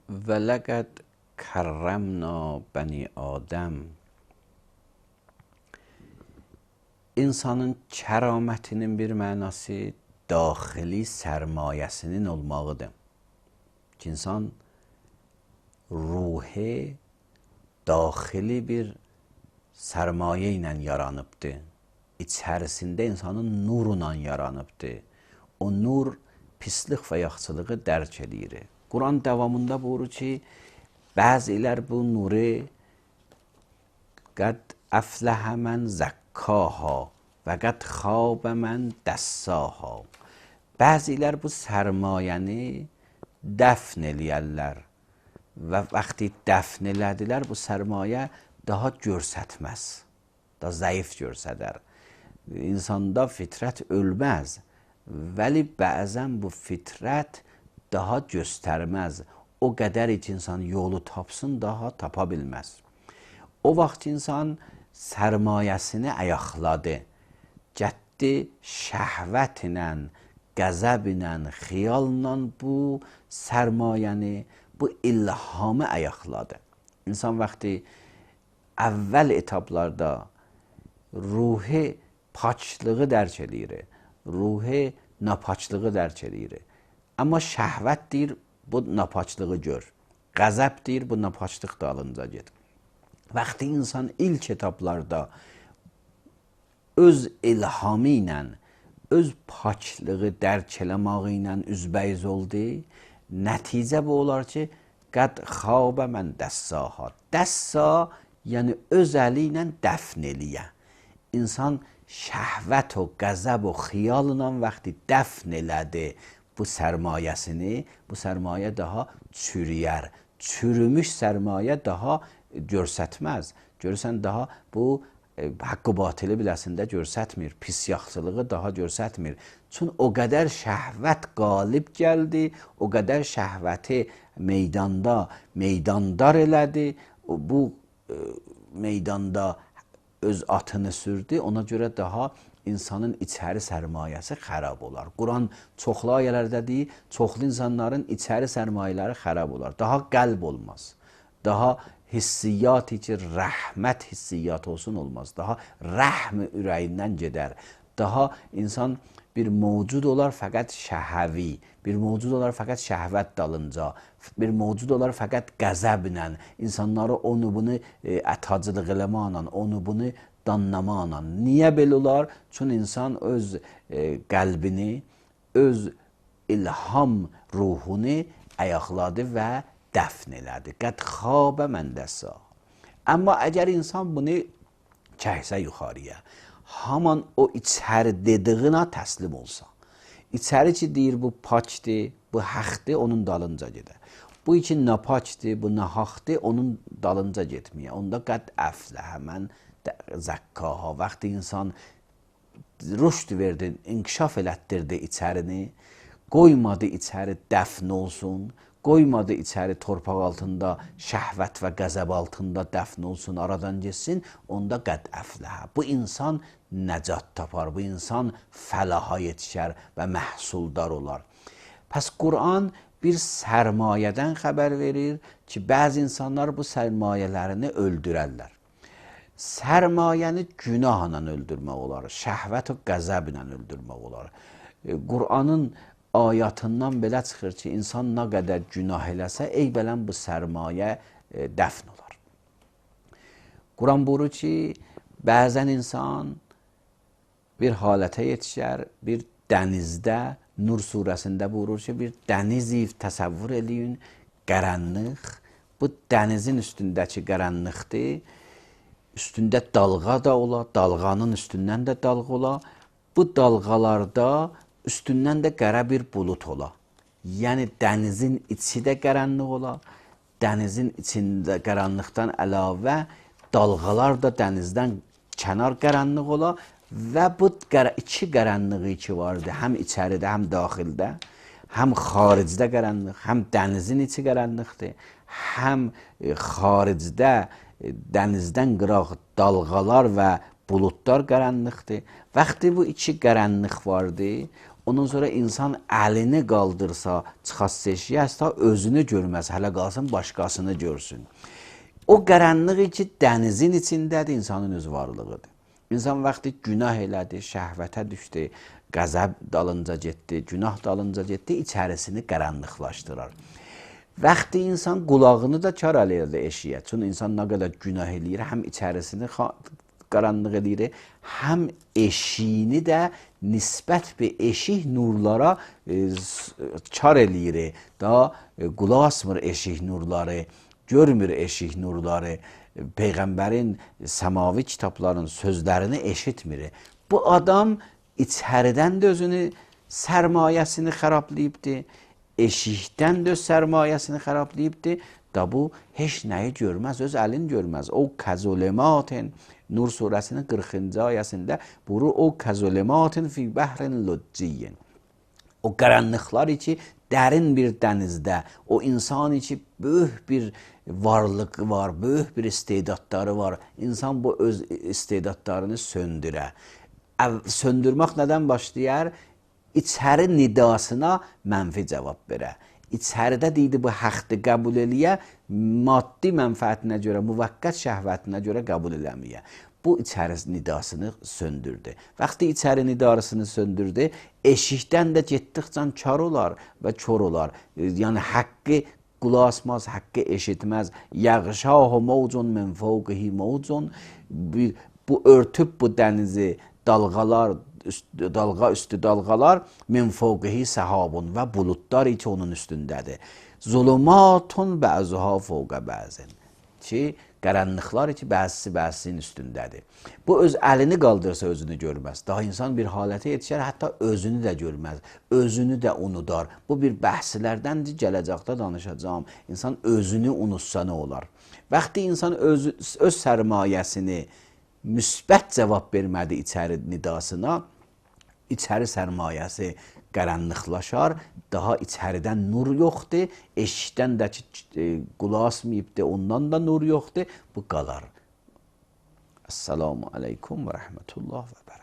ولقد کررمنا bəni Adəm. İnsanın kəramətinin bir mənası daxili sərmayəsinin olmağıdır. Ki, insan ruhi daxili bir sərmayə ilə yaranıbdır. İçərisində insanın nurla yaranıbdır. O nur pislik və yaxşılığı dərk edir. Quran davamında buyurur ki, bəzilər bu nuru qəd əfləhə mən zəkkaha və qəd xabə mən dəssaha. Bəzilər bu sərmayəni dəfn eləyərlər və vaxtı dəfn elədilər, bu sərmayə daha görsətməz, daha zəif görsədər. İnsanda fitrət ölməz, vəli bəzən bu fitrət daha göstərməz. O qədər ki, insan yolu tapsın, daha tapa bilməz. O vaxt insan sərmayəsini ayaqladı. Gətdi şəhvət ilə, qəzəb ilə, xiyalla bu sərmayəni, bu ilhamı ayaqladı. İnsan vaxtı əvvəl etaplarda ruhi paçlığı dərk edir, ruhi napaçlığı dərk edir. Amma şəhvət deyir, bu napaçlığı gör. Qəzəb deyir, bu napaçlıq dalınca get. Vaxtı insan ilk etaplarda öz ilhamı ilə, öz paçlığı dərk eləməyi ilə üzbəyiz oldu. Nəticə bu olar ki, qəd xabə mən dəssaha. Dəssa, yəni öz əli ilə dəfn eləyə. İnsan şəhvət o, qəzəb o, xiyalla vaxtı dəfn elədi bu sərmayəsini, bu sərmayə daha çürüyər. Çürümüş sərmayə daha görsətməz. Görürsən, daha bu haqqı batılı biləsində görsətmir. Pis yaxşılığı daha görsətmir. Çünki o qədər şəhvət qalib gəldi, o qədər şəhvəti meydandar elədi. Bu meydanda öz atını sürdü. Ona görə daha insanın içəri sərmayəsi xərab olar. Quran çoxlu ayələrdə deyir, çoxlu insanların içəri sərmayələri xərab olar. Daha qəlb olmaz. Daha hissiyyat ki, rəhmət hissiyyat olsun olmaz. Daha rəhm ürəyindən gedər. Daha insan bir mövcud olar fəqət şəhəvi, bir mövcud olar fəqət şəhvət dalınca, bir mövcud olar fəqət qəzəblə, insanları onu bunu ətacılıq eləməklə, onu bunu danlamaqla. Niyə belə olar? Çünki insan öz qəlbini, öz ilham ruhunu ayaqladı və dəfn elədi. Qəd xabə mən dəssaha. Amma əgər insan bunu çəksə yuxarıya, haman o içəri dediyinə təslim olsa, içəri ki deyir bu paçdır, bu haqdır, onun dalınca gedər. Bu ki napaçdır, bu nahaqdır, onun dalınca getməyə. Onda qəd əfləhə mən zəkkaha. Vaxtı insan rüşd verdi, inkişaf elətdirdi içərini, qoymadı içəri dəfn olsun, qoymadı içəri torpaq altında, şəhvət və qəzəb altında dəfn olsun, aradan geçsin, onda qəd əfləhə. Bu insan nəcat tapar, bu insan fəlaha yetişər və məhsuldar olar. Pəs Quran bir sərmayədən xəbər verir ki, bəzi insanlar bu sərmayələrini öldürərlər. Sərmayəni günahla öldürmək olar, şəhvət və qəzəblə öldürmək olar. Quranın ayatından belə çıxır ki, insan nə qədər günah eləsə, eybələn bu sərmayə dəfn olar. Quran buyurur ki, bəzən insan bir halətə yetişər, bir dənizdə, Nur surəsində buyurur ki, bir dənizi təsəvvür eləyin, qaranlıq, bu dənizin üstündəki qaranlıqdır, üstündə dalğa da ola, dalğanın üstündən də dalğa ola, bu dalğalarda üstündən də qara bir bulut ola. Yəni dənizin içi də qaranlıq ola, dənizin içində qaranlıqdan əlavə dalğalar da dənizdən kənar qaranlıq ola və bu iki qaranlığı ki vardı, həm içəridə, həm daxildə, həm xaricdə qaranlıq, həm dənizin içi qaranlıqdır, həm xaricdə dənizdən qıraq dalğalar və buludlar qaranlıqdır. Vaxtı bu iki qaranlıq vardı, Ondan sonra insan əlini qaldırsa, çıxası eşiyə, hətta özünü görməz, hələ qalsın başqasını görsün. O qaranlıq ki, dənizin içindədir, insanın öz varlığıdır. İnsan vaxtı günah elədi, şəhvətə düşdü, qəzəb dalınca getdi, günah dalınca getdi, içərisini qaranlıqlaşdırar. Vaxtı insan qulağını da kar eləyir eşiyə. Çünki insan nə qədər günah eləyir, həm içərisini qaranlıq eləyir, həm eşiyini də nisbət bir eşik nurlara kar eləyir. Da qulaq asmır eşik nurları, görmür eşik nurları, Peyğəmbərin səmavi kitabların sözlərini eşitmir. Bu adam içəridən də özünü sərmayəsini xərablayıbdır, eşikdən də öz sərmayəsini xərablayıbdır. Da bu heç nəyi görməz, öz əlini görməz. O kəzulematin, Nur surəsinin 40-cı ayəsində buyurur, o kəzulematin fi bəhrin lücciyyin. O qaranlıqlar ki, dərin bir dənizdə, o insan ki, böyük bir varlıq var, böyük bir istedadları var. İnsan bu öz istedadlarını söndürə. Söndürmək nədən başlayar? İçəri nidasına mənfi cavab verə. İçəridə deyildi bu haqqı qəbul eləyə, maddi mənfəətinə görə, müvəqqət şəhvətinə görə qəbul eləməyə. Bu içəri nidasını söndürdü. Vaxtı içəri nidasını söndürdü, eşikdən də getdikcə kar olar və kör olar. Yəni haqqı qulaq asmaz, haqqı eşitməz. Yəğşahu mavcun min fawqihi mavcun. Bu örtüb bu dənizi dalğalar, dalğa üstü dalğalar, min fawqihi sahabun və buludlar ki onun üstündədir. Zulumatun bəzuha fawqa bəzin. Ki qaranlıqlar ki bəzisinin üstündədir. Bu öz əlini qaldırsa özünü görməz. Daha insan bir halətə yetişər, hətta özünü də görməz, özünü də unudar. Bu bir bəhslərdəndir, gələcəkdə danışacağım. İnsan özünü unutsa nə olar? Vaxtı insan öz sərmayəsini müsbət cavab vermədi içəri nidasına, içəri sərmayəsi qaranlıqlaşar, daha içəridən nur yoxdur, eşikdən də ki, qulaq asmayıbdır, ondan da nur yoxdur, bu qalar. Esselamu aleykum və rəhmətullah və bərəkətuhu.